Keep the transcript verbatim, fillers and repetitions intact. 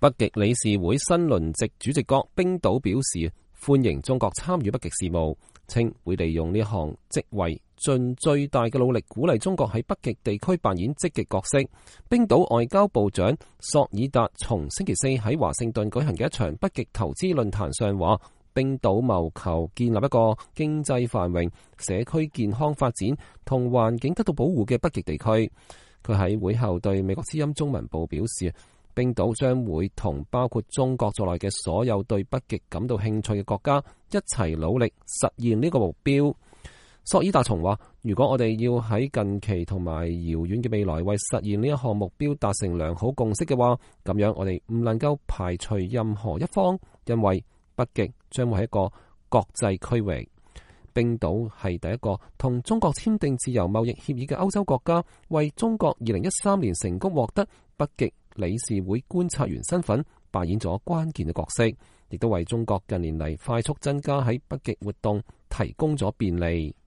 北極理事會新輪值主席國冰島表示歡迎中國參與北極事務，稱會利用呢項職位盡最大嘅努力鼓勵中國喺北極地區扮演積極角色。冰島外交部長索爾達從星期四喺華盛頓舉行嘅一場北極投資論壇上話，冰島謀求建立一個經濟繁榮、社區健康發展同環境得到保護嘅北極地區。佢喺會後對美國之音中文部表示，冰島將會同包括中國在內嘅所有對北極感到興趣嘅國家一齊努力實現呢個目標。索爾達松話，如果我哋要喺近期同埋遙遠嘅未來為實現呢一項目標達成良好共識嘅話，咁樣我哋唔能夠排除任何一方，因為北極將會係一個國際區域。冰島係第一個同中國簽訂自由貿易協議嘅歐洲國家，為中國二零一三年成功獲得北極理事會觀察員身份扮演咗關鍵嘅角色，亦都為中國近年嚟快速增加喺北極活動提供咗便利。